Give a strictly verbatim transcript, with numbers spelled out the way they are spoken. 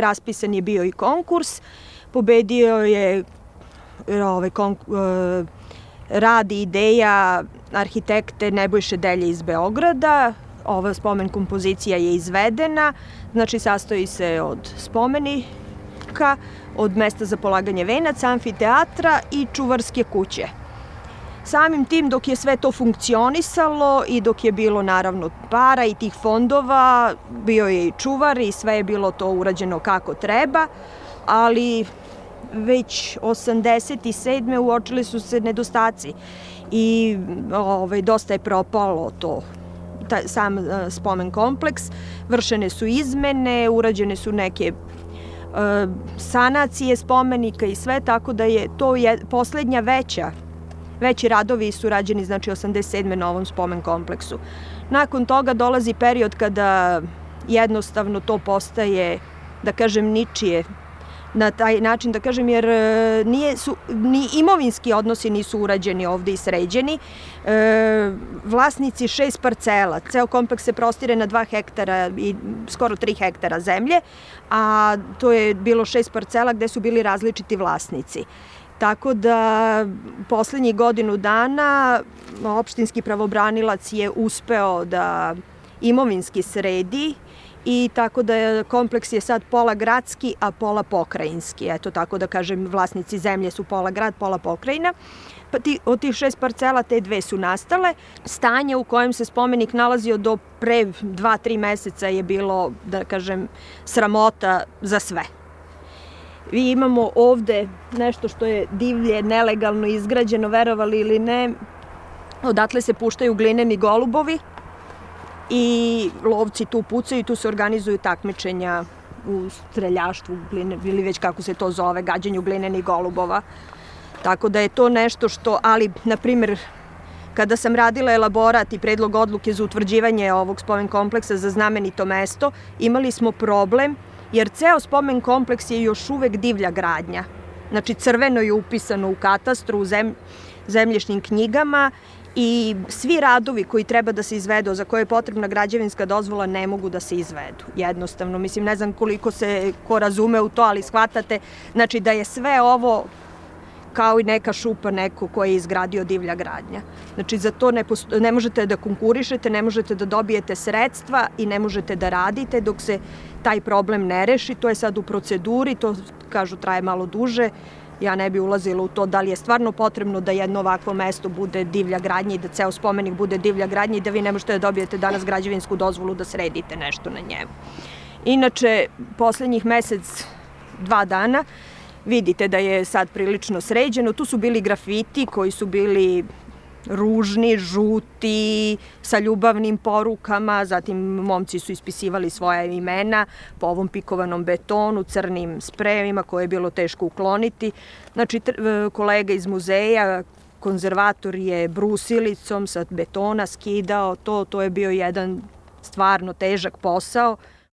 Raspisan je bio i konkurs, pobedio je ovaj, rad i ideja arhitekte Nebojše Delje iz Beograda. Ova spomen kompozicija je izvedena, znači sastoji se od spomenika, od mesta za polaganje venaca, amfiteatra i čuvarske kuće. Samim tim, dok je sve to funkcionisalo i dok je bilo naravno para i tih fondova, bio je i čuvar i sve je bilo to urađeno kako treba, ali već osamdeset sedme uočili su se nedostaci i ovaj, dosta je propalo to, taj, sam spomen kompleks, vršene su izmene, urađene su neke e, sanacije spomenika i sve, tako da je to je poslednja veća Veći radovi su rađeni, znači, osamdeset sedme na ovom spomen kompleksu. Nakon toga dolazi period kada jednostavno to postaje, da kažem, ničije na taj način, da kažem, jer nije, su, ni imovinski odnosi nisu urađeni ovde i sređeni. E, vlasnici šest parcela, ceo kompleks se prostire na dva hektara i skoro tri hektara zemlje, a to je bilo šest parcela gde su bili različiti vlasnici. Tako da poslednjih godinu dana opštinski pravobranilac je uspeo da imovinski sredi i tako da kompleks je sad pola gradski, a pola pokrajinski. Eto, tako da kažem, vlasnici zemlje su pola grad, pola pokrajina. Pa ti, od tih šest parcela te dve su nastale. Stanje u kojem se spomenik nalazio do pre dva, tri meseca je bilo, da kažem, sramota za sve. Mi imamo ovde nešto što je divlje, nelegalno izgrađeno, verovali ili ne. Odatle se puštaju glineni golubovi i lovci tu pucaju i tu se organizuju takmičenja u streljaštvu ili već kako se to zove, gađanju glinenih golubova. Tako da je to nešto što, ali, na primer, kada sam radila elaborat i predlog odluke za utvrđivanje ovog spomen kompleksa za znamenito mesto, imali smo problem jer ceo spomen kompleks je još uvek divlja gradnja. Znači, crveno je upisano u katastru, u zem, zemljišnim knjigama i svi radovi koji treba da se izvedu, za koje je potrebna građevinska dozvola, ne mogu da se izvedu. Jednostavno, mislim, ne znam koliko se ko razume u to, ali shvatate, znači da je sve ovo kao i neka šupa neko ko je izgradio divlja gradnja. Znači, za to ne, posto, ne možete da konkurišete, ne možete da dobijete sredstva i ne možete da radite dok se taj problem ne reši. To je sad u proceduri, to, kažu, traje malo duže. Ja ne bi ulazila u to da li je stvarno potrebno da jedno ovakvo mesto bude divlja gradnja i da ceo spomenik bude divlja gradnja i da vi ne možete da dobijete danas građevinsku dozvolu da sredite nešto na njemu. Inače, poslednjih mesec, dva dana, vidite da je sad prilično sređeno. Tu su bili grafiti koji su bili ružni, žuti, sa ljubavnim porukama, zatim momci su ispisivali svoja imena po ovom pikovanom betonu, crnim sprejevima koje je bilo teško ukloniti. Znači, kolega iz muzeja, konzervator je brusilicom sa betona skidao to, to je bio jedan stvarno težak posao.